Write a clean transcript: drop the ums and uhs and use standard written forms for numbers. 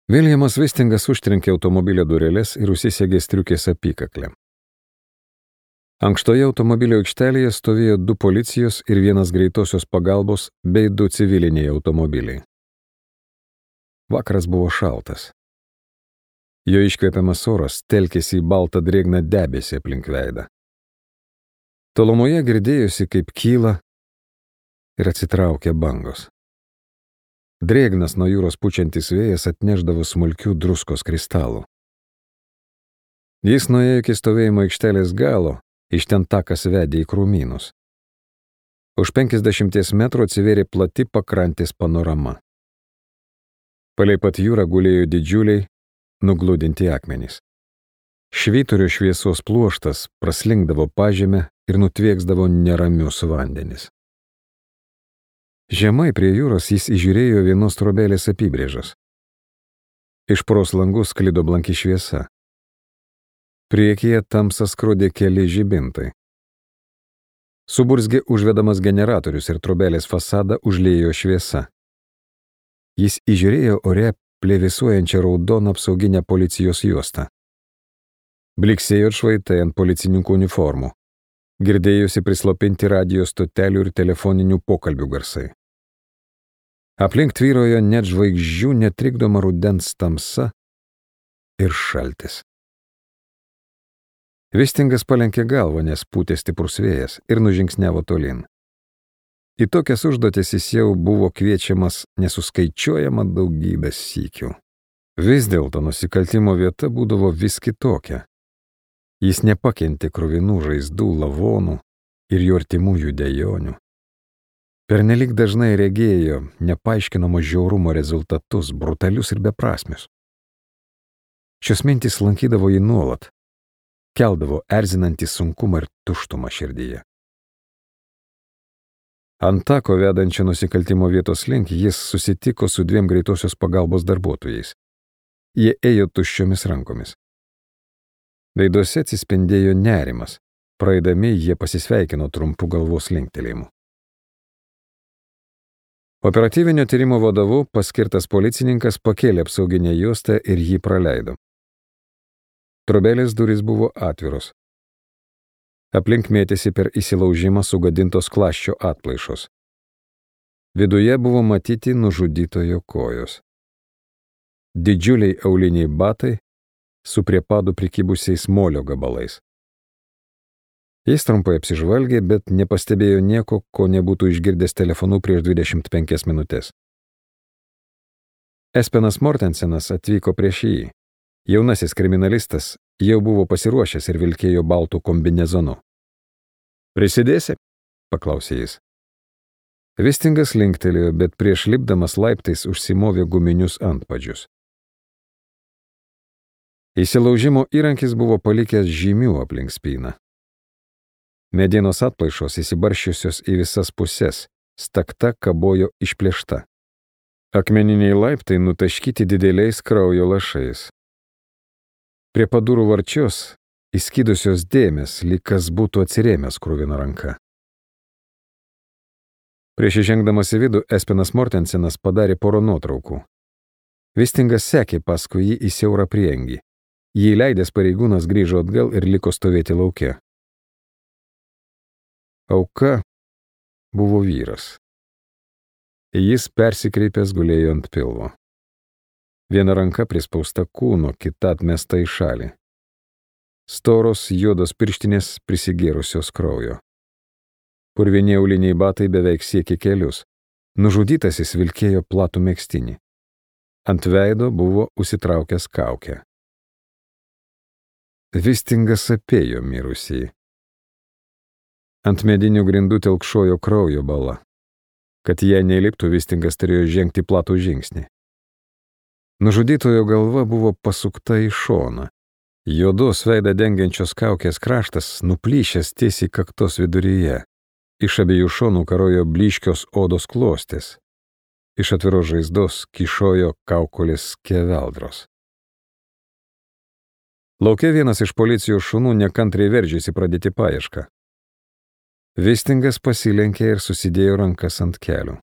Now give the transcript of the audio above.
Viljamas Vistingas užtrenkė automobilio dureles ir užsisegė striukės apykaklę. Ankštoje automobilio aikštelėje stovėjo 2 policijos ir 1 greitosios pagalbos bei 2 civiliniai automobiliai. Vakaras buvo šaltas. Jo iškvepiamas oras telkėsi į baltą drėgną debesį aplink veidą. Tolumoje girdėjosi, kaip kyla ir atsitraukia bangos. Drėgnas nuo jūros pučiantis vėjas atnešdavo smulkių druskos kristalų. Jis nuėjo iki stovėjimo aikštelės galo, iš ten takas vedė į krūmynus. Už 50 metrų atsivėrė plati pakrantės panorama. Palei pat jūrą gulėjo didžiuliai, nugludinti akmenys. Švyturio šviesos pluoštas praslinkdavo pažemę ir nutvieksdavo neramius vandenis. Žemai prie jūros jis įžiūrėjo vienos trobelės apibrėžas. Iš pros langų sklido blanki šviesa. Priekyje tamsą skrodė keli žibintai. Suburzgė užvedamas generatorius ir trobelės fasadą užliejo šviesa. Jis įžiūrėjo ore plevėsuojančią raudoną apsauginę policijos juostą. Bliksėjo švaitai ant policininkų uniformų. Girdėjosi prislopinti radio stotelių ir telefoninių pokalbių garsai. Aplink tvyrojo net žvaigždžių netrikdoma rudens tamsa ir šaltis. Vistingas palenkė galvą, nes pūtė stiprus vėjas ir nužingsniavo tolyn. Į tokias užduotis jis jau buvo kviečiamas nesuskaičiuojama daugybės sykių. Vis dėlto nusikaltimo vieta būdavo vis kitokia. Jis nepakentė kruvinų žaizdų, lavonų ir jų artimųjų dejonių. Pernelyg dažnai regėjo nepaaiškinamo žiaurumo rezultatus, brutalius ir beprasmius. Šios mintys lankydavo jį nuolat, keldavo erzinantį sunkumą ir tuštumą širdyje. Ant tako vedančio nusikaltimo vietos link jis susitiko su 2 greitosios pagalbos darbuotojais. Jie ėjo tuščiomis rankomis. Veiduose atsispindėjo nerimas. Praeidami jie pasisveikino trumpu galvos linktelėjimu. Operatyvinio tyrimo vadovu paskirtas policininkas pakėlė apsauginę juostą ir jį praleido. Trobelės durys buvo atviros. Aplink mėtėsi per įsilaužimą sugadintos klasčio atplaišos. Viduje buvo matyti nužudytojo kojos. Didžiuliai auliniai batai su prie padų prikibusiais molio gabalais. Jis trumpai apsižvalgė, bet nepastebėjo nieko, ko nebūtų išgirdęs telefonu prieš 25 minutės. Espenas Mortensenas atvyko prieš jį. Jaunasis kriminalistas jau buvo pasiruošęs ir vilkėjo baltų kombinezonu. Prisidėsi? Paklausė jis. Vistingas linktelėjo, bet prieš lipdamas laiptais užsimovė guminius antpadžius. Įsilaužimo įrankis buvo palikęs žymių aplink spyną. Medienos atplaišos įsibarščiusios į visas puses, stakta kabojo išplėšta. Akmeniniai laiptai nutaškyti dideliais kraujo lašais. Prie padurų varčios įskydusios dėmės, lyg kas būtų atsirėmęs kruvina ranka. Prieš įžengdamas į vidų, Espenas Mortensenas padarė porą nuotraukų. Vistingas sekė paskui jį į siaurą priengį. Jį leidęs pareigūnas grįžo atgal ir liko stovėti lauke. Auka buvo vyras. Jis persikreipęs gulėjo ant pilvo. Viena ranka prispausta kūno, kita atmesta į šalį. Storos juodos pirštinės prisigėrusios kraujo. Purvini auliniai batai beveik siekė kelius. Nužudytasis vilkėjo platų megztinį. Ant veido buvo užsitraukęs kaukę. Vistingas apėjo mirusįjį. Ant medinių grindų telkšojo kraujo bala. Kad jei neįliptų, Vistingas turėjo žengti platų žingsnį. Nužudytojo galva buvo pasukta į šoną. Juodos veidą dengiančios kaukės kraštas nuplyšęs tiesiai kaktos viduryje. Iš abiejų šonų karojo blyškios odos klostės. Iš atviros žaizdos kyšojo kaukolės skeveldros. Lauke vienas iš policijos šunų nekantriai veržėsi pradėti paiešką. Vistingas pasilenkė ir susidėjo rankas ant kelių.